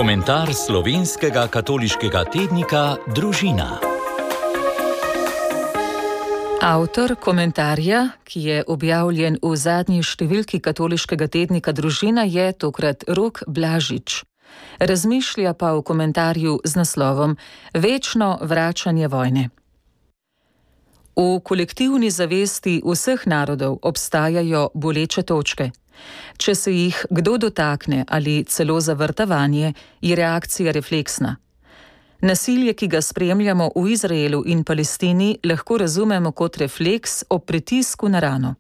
Komentar slovenskega katoliškega tednika Družina. Avtor komentarja, ki je objavljen v zadnji številki katoliškega tednika Družina, je tokrat Rok Blažič. Razmišlja pa v komentarju z naslovom Večno vračanje vojne. V kolektivni zavesti vseh narodov obstajajo boleče točke. Če se jih kdo dotakne ali celo zavrta vanje, je reakcija refleksna. Nasilje, ki ga spremljamo v Izraelu in Palestini, lahko razumemo kot refleks ob pritisku na rano.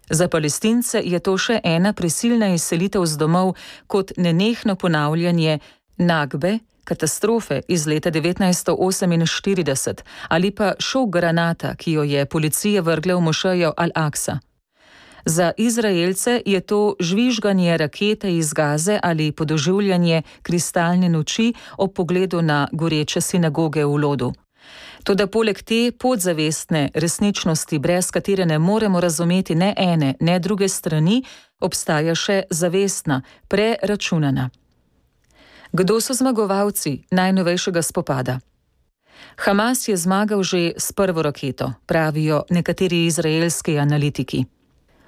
Za Palestince je to še ena prisilna izselitev z domov kot nenehno ponavljanje Nakbe, katastrofe iz leta 1948 ali pa šok granata, ki jo je policija vrgla v mošejo Al-Aksa. Za Izraelce je to žvižganje rakete iz Gaze ali podoživljanje kristalne noči ob pogledu na goreče sinagoge v Lodu. Toda poleg te podzavestne resničnosti, brez katere ne moremo razumeti ne ene, ne druge strani, obstaja še zavestna, preračunana. Kdo so zmagovalci najnovejšega spopada? Hamas je zmagal že s prvo raketo, pravijo nekateri izraelski analitiki.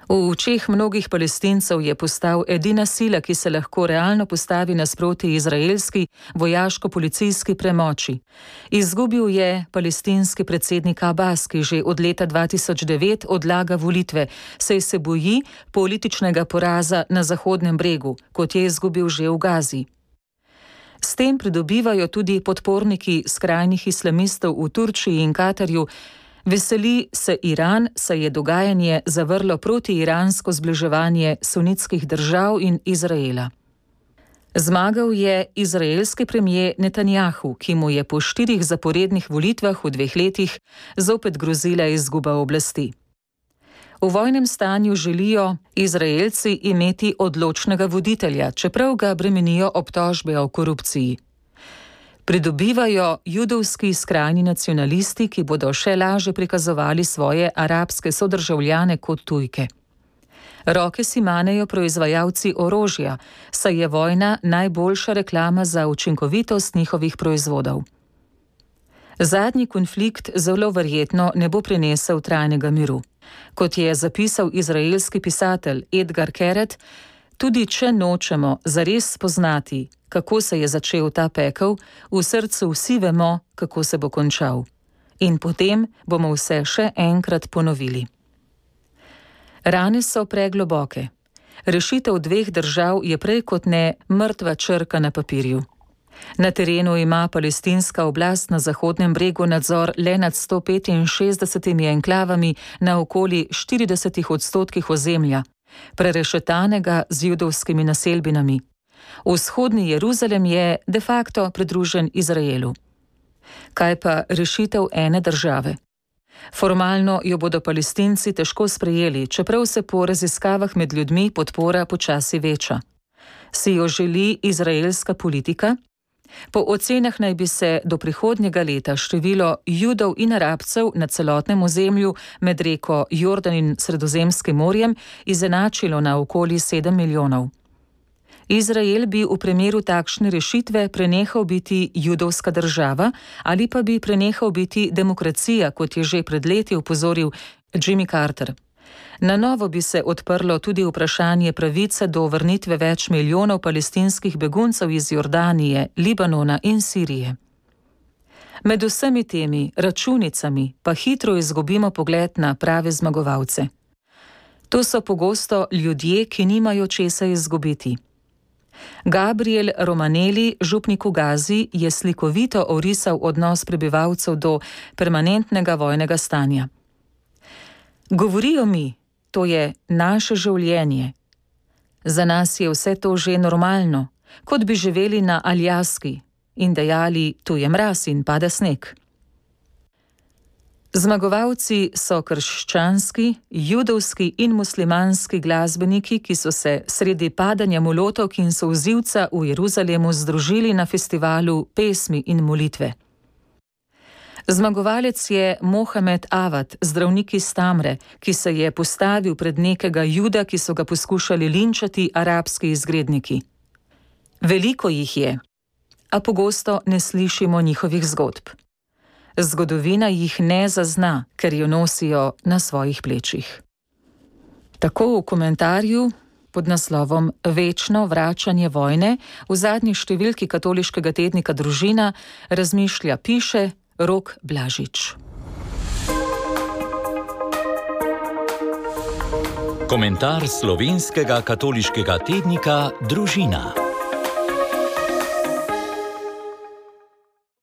V očeh mnogih Palestincev je postal edina sila, ki se lahko realno postavi nasproti izraelski vojaško-policijski premoči. Izgubil je palestinski predsednik Abbas, ki že od leta 2009 odlaga volitve, saj se boji političnega poraza na Zahodnem bregu, kot je izgubil že v Gazi. S tem pridobivajo tudi podporniki skrajnih islamistov v Turčiji in Katarju. Veseli se Iran, saj je dogajanje zavrlo protiiransko zbliževanje sunitskih držav in Izraela. Zmagal je izraelski premier Netanjahu, ki mu je po 4 zaporednih volitvah v 2 letih zopet grozila izguba oblasti. V vojnem stanju želijo Izraelci imeti odločnega voditelja, čeprav ga bremenijo obtožbe o korupciji. Pridobivajo judovski skrajni nacionalisti, ki bodo še lažje prikazovali svoje arabske sodržavljane kot tujke. Roke si manejo proizvajalci orožja, saj je vojna najboljša reklama za učinkovitost njihovih proizvodov. Zadnji konflikt zelo verjetno ne bo prinesel trajnega miru. Kot je zapisal izraelski pisatelj Edgar Keret, tudi če nočemo zares spoznati, kako se je začel ta pekel, v srcu vsi vemo, kako se bo končal. In potem bomo vse še enkrat ponovili. Rane so pregloboke. Rešitev 2 držav je prej kot ne mrtva črka na papirju. Na terenu ima palestinska oblast na Zahodnem bregu nadzor le nad 165 enklavami na okoli 40% ozemlja, prerešetanega z judovskimi naselbinami. Vzhodni Jeruzalem je de facto pridružen Izraelu. Kaj pa rešitev ene države? Formalno jo bodo Palestinci težko sprejeli, čeprav se po raziskavah med ljudmi podpora počasi veča. Si jo želi izraelska politika? Po ocenah naj bi se do prihodnjega leta število Judov in Arabcev na celotnem ozemlju med reko Jordan in Sredozemskim morjem izenačilo na okoli 7 milijonov. Izrael bi v primeru takšne rešitve prenehal biti judovska država ali pa bi prenehal biti demokracija, kot je že pred leti opozoril Jimmy Carter. Na novo bi se odprlo tudi vprašanje pravice do vrnitve več milijonov palestinskih beguncev iz Jordanije, Libanona in Sirije. Med vsemi temi računicami pa hitro izgubimo pogled na prave zmagovalce. To so pogosto ljudje, ki nimajo česa izgubiti. Gabriel Romanelli, župnik v Gazi, je slikovito orisal odnos prebivalcev do permanentnega vojnega stanja. Govorijo mi, to je naše življenje. Za nas je vse to že normalno, kot bi živeli na Aljaski in dejali, tu je mraz in pada sneg. Zmagovalci so krščanski, judovski in muslimanski glasbeniki, ki so se sredi padanja molotovk in solzivca v Jeruzalemu združili na festivalu pesmi in molitve. Zmagovalec je Mohamed Avad, zdravnik iz Tamre, ki se je postavil pred nekega Juda, ki so ga poskušali linčati arabski izgredniki. Veliko jih je, a pogosto ne slišimo njihovih zgodb. Zgodovina jih ne zazna, ker jo nosijo na svojih plečih. Tako v komentarju pod naslovom Večno vračanje vojne v zadnji številki katoliškega tednika Družina piše Rok Blažič. Komentar slovenskega katoliškega tednika Družina.